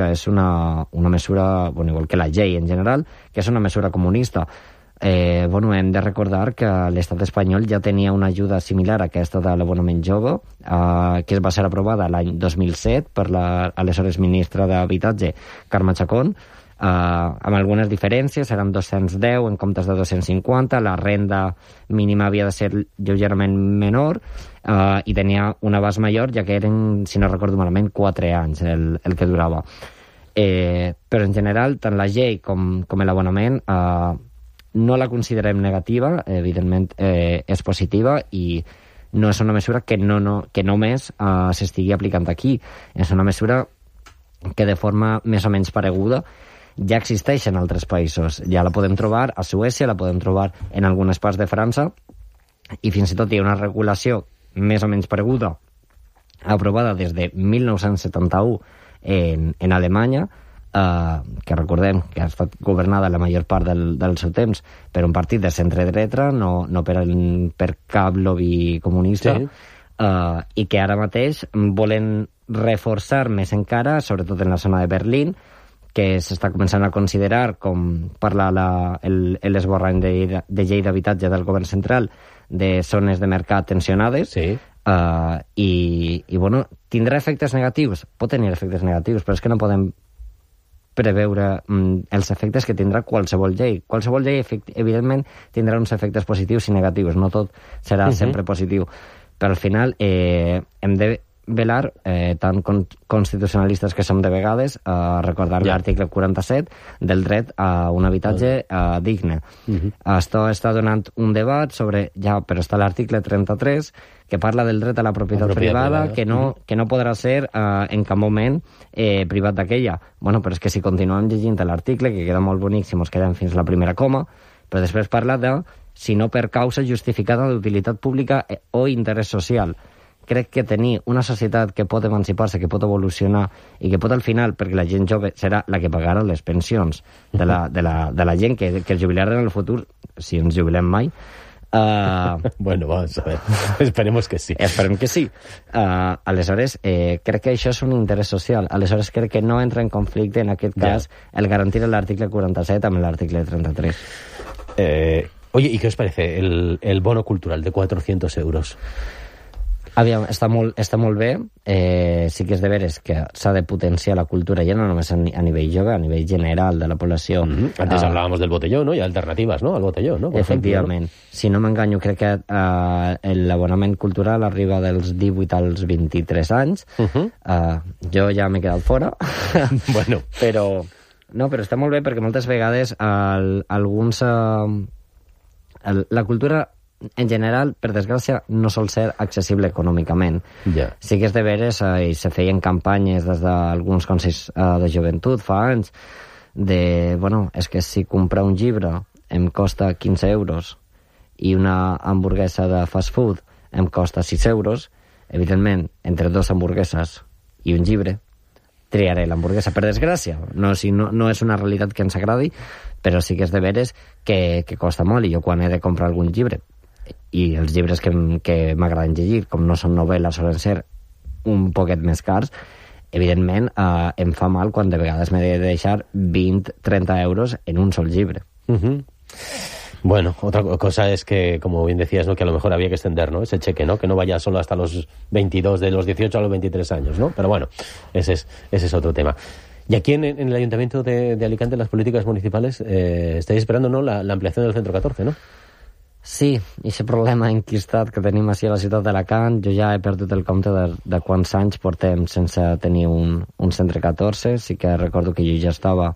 que és una mesura, bueno, igual que la llei en general, que és una mesura comunista. Bueno, hem de recordar que l'estat espanyol ja tenia una ajuda similar a aquesta de l'abonament jove, que va ser aprovada l'any 2007 per l'aleshores ministra d'Habitatge, Carme Chacón, amb algunes diferències, eren 210 en comptes de 250, la renda mínima havia de ser lleugerament menor i tenia un abast major, ja que eren, si no recordo malament, 4 anys el que durava. Però en general, tant la llei com l'abonament no la considerem negativa, evidentment és positiva i no és una mesura que només s'estigui aplicant aquí. És una mesura que de forma més o menys pareguda ja existeix en altres països. Ja la podem trobar a Suècia, la podem trobar en algunes parts de França i fins i tot hi ha una regulació més o menys pareguda aprovada des de 1971 en Alemanya, que recordem que ha estat governada la major part del seu temps per un partit de centre-dreta, no per cap lobby comunista, sí. I que ara mateix volen reforçar més encara, sobretot en la zona de Berlín, que s'està començant a considerar, com parla l'esborrany de llei d'habitatge del govern central, de zones de mercat tensionades, sí. I bueno, tindrà efectes negatius? Pot tenir efectes negatius, però és que no podem preveure els efectes que tindrà qualsevol llei. Qualsevol llei, evidentment, tindrà uns efectes positius i negatius. No tot serà sempre positiu. Però al final hem de velar, tant constitucionalistes que som de vegades, recordar l'article 47 del dret a un habitatge digne. Això està donant un debat sobre, però està l'article 33, que parla del dret a la propietat privada, que no podrà ser en cap moment privat d'aquella. Bueno, però és que si continuem llegint l'article, que queda molt bonic si mos quedem fins a la primera coma, però després parla de si no per causa justificada d'utilitat pública o interès social. Crec que tenir una societat que pot emancipar-se, que pot evolucionar i que pot al final, perquè la gent jove serà la que pagarà les pensions de la gent que es jubilarà en el futur, si ens jubilem mai. Bueno, vamos a ver. Esperemos que sí. Esperem que sí. Aleshores, crec que això és un interès social. Aleshores, crec que no entra en conflicte, en aquest cas, el garantir l'article 47 amb l'article 33. Oye, ¿y qué os parece el bono cultural de 400 euros? Aviam, està molt bé. Sí que és de veres que s'ha de potenciar la cultura ja no només a nivell jove, a nivell general de la població. Antes hablábamos del botellón, ¿no? Y alternativas, ¿no? Al botellón, ¿no? Efectivament. Ejemplo, ¿no? Si no m'enganyo, crec que l'abonament cultural arriba dels 18 als 23 anys. Jo ja m'he quedat fora. Bueno. Però està molt bé perquè moltes vegades alguns... la cultura en general, per desgràcia, no sol ser accessible econòmicament. Sí que és de veres, i se feien campanyes des d'alguns consells de joventut fa anys, és que si comprar un llibre em costa 15 euros i una hamburguesa de fast food em costa 6 euros, evidentment, entre 2 hamburgueses i un llibre, triaré l'hamburguesa, per desgràcia. No és una realitat que ens agradi, però sí que és de veres que costa molt, i jo quan he de comprar algun llibre, i els llibres que m'agraden llegir, com no són novel·les, solen ser un poquet més cars, evidentment em fa mal quan de vegades m'he de deixar 20-30 euros en un sol llibre. Bueno, otra cosa es que, como bien decías, ¿no? Que a lo mejor había que extender, ¿no? Ese cheque, ¿no? Que no vaya solo hasta los 22, de los 18 a los 23 años, ¿no? Pero bueno, ese es otro tema. Y aquí en el Ayuntamiento de Alicante, las políticas municipales, estáis esperando, ¿no? La ampliación del Centro 14, ¿no? Sí, i aquest problema enquistat que tenim així a la ciutat d'Alacant, jo ja he perdut el compte de quants anys portem sense tenir un centre 14. Sí que recordo que jo ja estava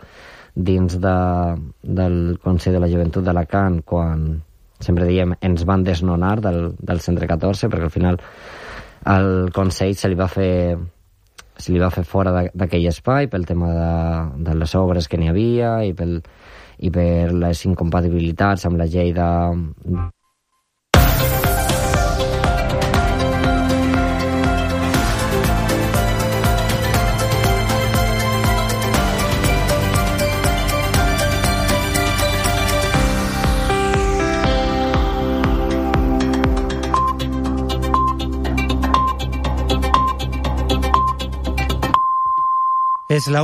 dins del Consell de la Joventut d'Alacant quan, sempre diem, ens van desnonar del centre 14, perquè al final al Consell se li va fer fora d'aquell espai pel tema de les obres que n'hi havia i per les incompatibilitats amb la llei de... Es la